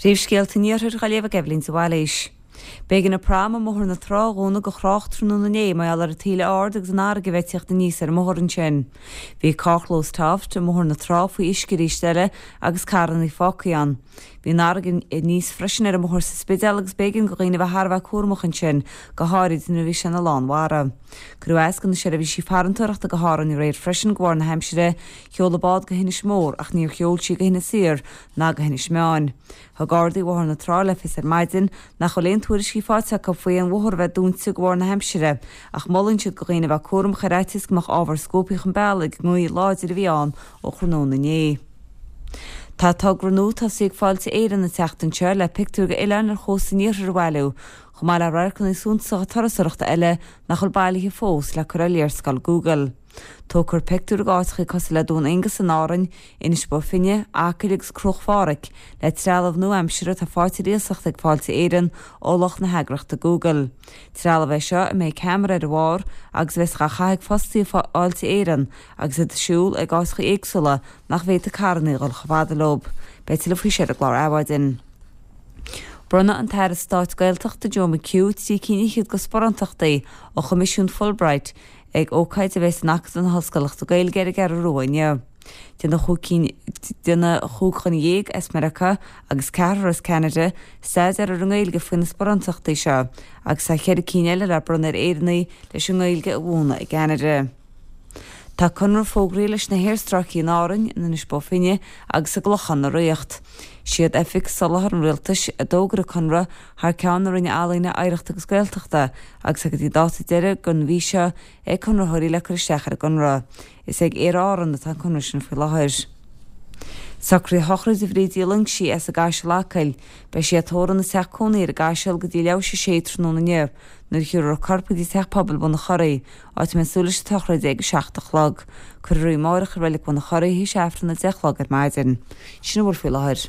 Príomhscéalta an Iarthair á léamh ag Eibhlín de Bhailís. B'éigean an prom i mBóthar na Trá a dhúnadh do thrácht tráthnóna inné mar gheall ar an taoille ard agus an fharraige a bheith ag tíocht aníos ar an mbóthar ansin. Bhí carrchlós Toft i mBóthar na Trá faoi uisce arís eile agus carranna fágtha ann. Bhí an fharraige aníos freisin ar an mbóthar sa Spidéal agus b'éigean do dhaoine a bheith thar a bheith cúramach ansin, go háirid nuair a bhí sé ina lán mara. Cuireadh as do na seirbhísí farantóireachta go hÁrainn aréir freisin de bharr na haimsire. Sheol an bád go hInis Mór ach níor sheol sí go hInis Oírr ná go hInis Meáin. Thug Gardaí Bhóthar na Trá le fios ar maidin nach bhfuil aon tuairiscí faighte acu faoi aon bhóthar a bheith dúnta de bharr na haimsire ach molann siad do dhaoine a bheith cúramach ar fhaitíos go mbeadh ábhar scuabtha chun bealaigh ag an ngaoth láidir a bhí ann ó thráthnóna inné. Tá togra nua tosaithe ag Fáilte Éireann an tseachtain seo le pictiúir d'oileáin ar chósta an iarthair a bhailiú, chomh maith le radharcanna suntasacha turasóireachta eile nach bhfuil bailithe fós le cur ar léarscáil Google. Tógfar pictiúir d'áiteacha cosúil le Dún Aonghasa in Árainn, Inis Bó Finne, Acaill agus Cruach Phádraig, le trealamh nua-aimseartha atá faighte ar iasacht ag Fáilte Éireann ó lucht na heagraíochta Google. Trealamh é seo a mbeidh ceamara ar a bharr agus a bheas á chaitheamh ag fostaithe Fáilte Éireann agus iad ag siúl ag áiteacha éagsúla nach bhféadfadh carranna a dhul chomh fada leo. Beidh tuilleadh faoi seo ar an gclár Adhmhaidin. Bronnfaidh an tAire Stáit Gaeltachta Joe McHugh 13 cinn de sparántachtaí ó Choimisiún Fulbright ag ócáid a bheas in Acadamh na hOllscolachta Gaeilge ar an gCeathrú Rua inniu. Déanfaidh 15 dhuine as Meiriceá agus ceathrar as Ceanada staidéar ar an nGaeilge faoi na sparántachtaí seo agus tá cheithre cinn eile le bronnadh ar Éireannaigh leis an nGaeilge a mhúineadh i gCeanada. Tá conradh fógraithe leis na haerstráicí in Árainn, in Inis Bó Finne agus i gClochán na Ríocht. Siad Oifig Soláthair an Rialtais a d'fhógair an conradh thar ceann na Roinne Ealaíne, Oidhreachta agus Gaeltachta agus tá go dtí dáta deiridh den mhí seo ag conraitheoirí le cur isteach ar an gconradh. Is ag Aer Árann atá an conradh sin faoi láthair. Socruithe sochraide Bhríd Uí Loingsigh as an gCaiseal Acaill. Beidh sí á tórramh ina teach cónaí ar an gCaiseal go dtí leathuair théis a sé tráthnóna inniu nuair a thiúrfar a corp go dtí Teach Pobail Bhun an Churraigh, áit a mbeidh súil leis an tsochraid ag 7 a chlog. Cuirfear í amáireach i Reilig Bhun an Churraigh théis Aifreann 10 a chlog ar maidin. Sin a bhfuil faoi láthair.